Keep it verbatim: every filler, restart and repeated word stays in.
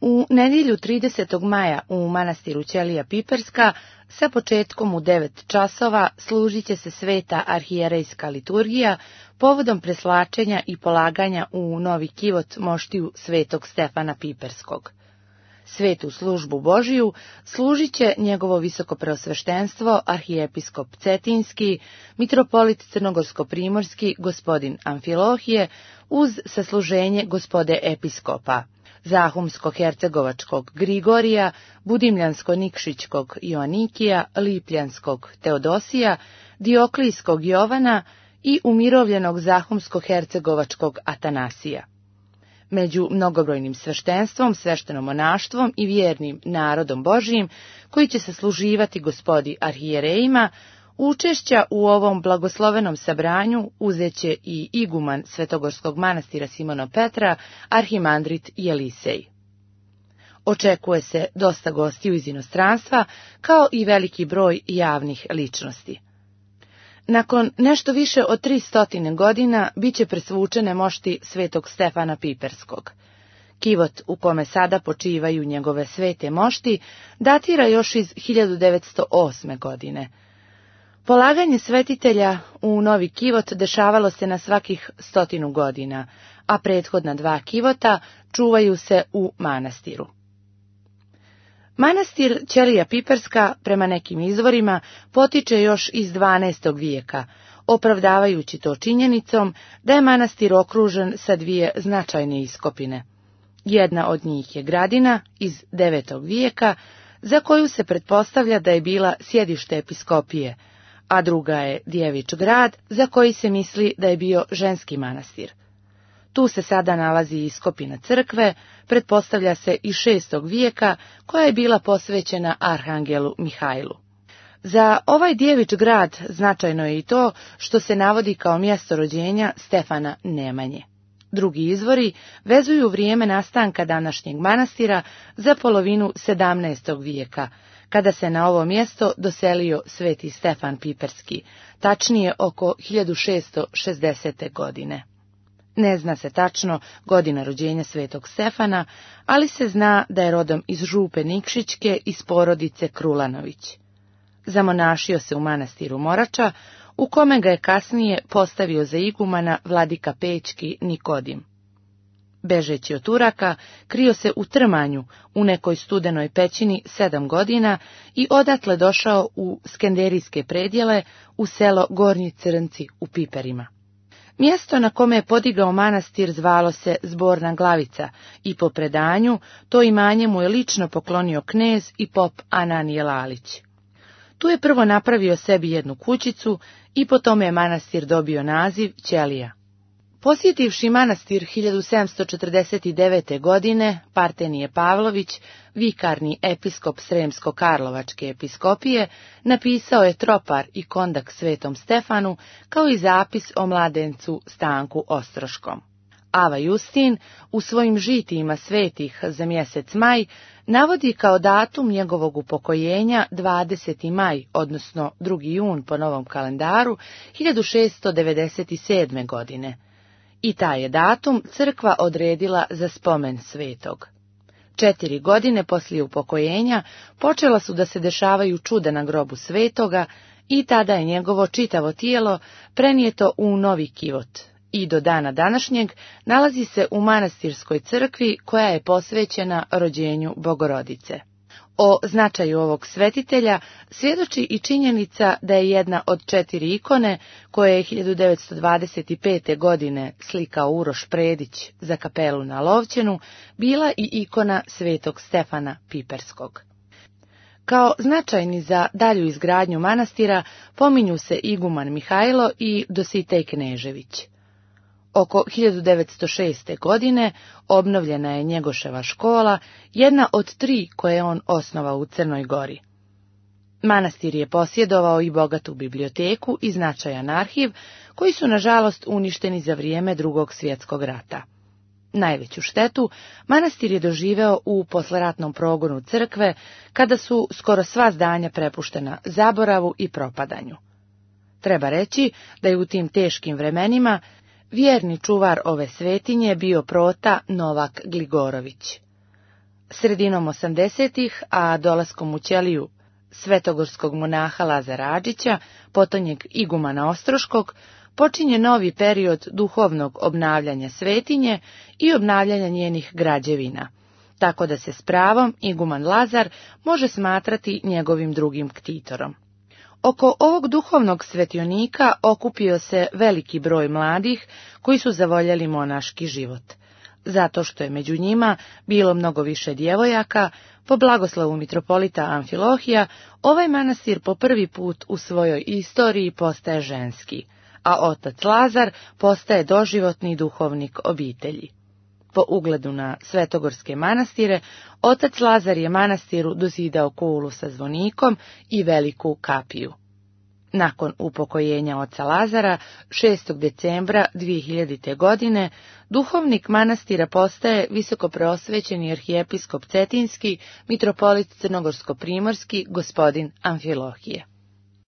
U nedjelju tridesetog maja u manastiru Ćelija Piperska sa početkom u devet časova služit će se sveta arhijerejska liturgija povodom preslačenja i polaganja u novi kivot moštiju svetog Stefana Piperskog. Svetu službu Božiju služit će njegovo visokopreosveštenstvo arhijepiskop Cetinski, mitropolit crnogorsko-primorski gospodin Amfilohije uz sasluženje gospode episkopa, Zahumsko-hercegovačkog Grigorija, Budimljansko-nikšićkog Ioanikija, Lipljanskog Teodosija, Dioklijskog Jovana i umirovljenog Zahumsko-hercegovačkog Atanasija. Među mnogobrojnim sveštenstvom, sveštenomonaštvom i vjernim narodom Božijim, koji će se služivati gospodi arhijerejima, učešća u ovom blagoslovenom sabranju uzeće i iguman Svetogorskog manastira Simona Petra, arhimandrit Jelisej. Očekuje se dosta gostiju iz inostranstva, kao i veliki broj javnih ličnosti. Nakon nešto više od tri stotine godina bit će presvučene mošti svetog Stefana Piperskog. Kivot u kome sada počivaju njegove svete mošti datira još iz hiljadu devetsto osme. godine. Polaganje svetitelja u novi kivot dešavalo se na svakih stotinu godina, a prethodna dva kivota čuvaju se u manastiru. Manastir Ćelija Piperska, prema nekim izvorima, potiče još iz dvanaestog vijeka, opravdavajući to činjenicom da je manastir okružen sa dvije značajne iskopine. Jedna od njih je Gradina iz devetog vijeka, za koju se pretpostavlja da je bila sjedište episkopije, a druga je Djevič grad, za koji se misli da je bio ženski manastir. Tu se sada nalazi iskopina crkve, pretpostavlja se iz šestog vijeka, koja je bila posvećena arhangelu Mihajlu. Za ovaj Djevič grad značajno je i to što se navodi kao mjesto rođenja Stefana Nemanje. Drugi izvori vezuju vrijeme nastanka današnjeg manastira za polovinu sedamnaestog vijeka, kada se na ovo mjesto doselio sveti Stefan Piperski, tačnije oko hiljadu šeststo šezdesete. godine. Ne zna se tačno godina rođenja svetog Stefana, ali se zna da je rodom iz Župe Nikšićke iz porodice Krulanović. Zamonašio se u manastiru Morača, u kome ga je kasnije postavio za igumana vladika Pećki Nikodim. Bežeći od Turaka, krio se u Trmanju, u nekoj studenoj pećini sedam godina i odatle došao u skenderijske predjele u selo Gornji Crnci u Piperima. Mjesto na kome je podigao manastir zvalo se Zborna Glavica i po predanju to imanje mu je lično poklonio knez i pop Ananije Lalić. Tu je prvo napravio sebi jednu kućicu i po tome je manastir dobio naziv Ćelija. Posjetivši manastir hiljadu sedamsto četrdeset devete. godine, Partenije Pavlović, vikarni episkop Sremsko-Karlovačke episkopije, napisao je tropar i kondak svetom Stefanu, kao i zapis o mladencu Stanku Ostroškom. Ava Justin u svojim žitijima svetih za mjesec maj navodi kao datum njegovog upokojenja dvadeseti maj, odnosno drugi jun po novom kalendaru, hiljadu šeststo devedeset sedme. godine. I taj je datum crkva odredila za spomen svetog. Četiri godine poslije upokojenja počela su da se dešavaju čuda na grobu svetoga i tada je njegovo čitavo tijelo prenijeto u novi kivot i do dana današnjeg nalazi se u manastirskoj crkvi koja je posvećena rođenju Bogorodice. O značaju ovog svetitelja svjedoči i činjenica da je jedna od četiri ikone koje je hiljadu devetsto dvadeset pete. godine slikao Uroš Predić za kapelu na Lovćenu, bila i ikona svetog Stefana Piperskog. Kao značajni za dalju izgradnju manastira pominju se iguman Mihajlo i Dositej Knežević. Oko hiljadu devetsto šeste. godine obnovljena je Njegoševa škola, jedna od tri koje je on osnovao u Crnoj Gori. Manastir je posjedovao i bogatu biblioteku i značajan arhiv, koji su nažalost uništeni za vrijeme Drugog svjetskog rata. Najveću štetu manastir je doživeo u posleratnom progonu crkve, kada su skoro sva zdanja prepuštena zaboravu i propadanju. Treba reći da je u tim teškim vremenima vjerni čuvar ove svetinje bio prota Novak Gligorović. Sredinom osamdesetih, a dolaskom u ćeliju svetogorskog monaha Lazara Adžića, potonjeg igumana Ostroškog, počinje novi period duhovnog obnavljanja svetinje i obnavljanja njenih građevina, tako da se s pravom iguman Lazar može smatrati njegovim drugim ktitorom. Oko ovog duhovnog svetionika okupio se veliki broj mladih koji su zavoljeli monaški život. Zato što je među njima bilo mnogo više djevojaka, po blagoslovu mitropolita Amfilohija, ovaj manastir po prvi put u svojoj istoriji postaje ženski, a otac Lazar postaje doživotni duhovnik obitelji. Po ugledu na svetogorske manastire, otac Lazar je manastiru dozidao kulu sa zvonikom i veliku kapiju. Nakon upokojenja oca Lazara, šestog decembra dvije hiljadite. godine, duhovnik manastira postaje visokopreosvećeni arhijepiskop Cetinski, mitropolit Crnogorsko-primorski, gospodin Amfilohije.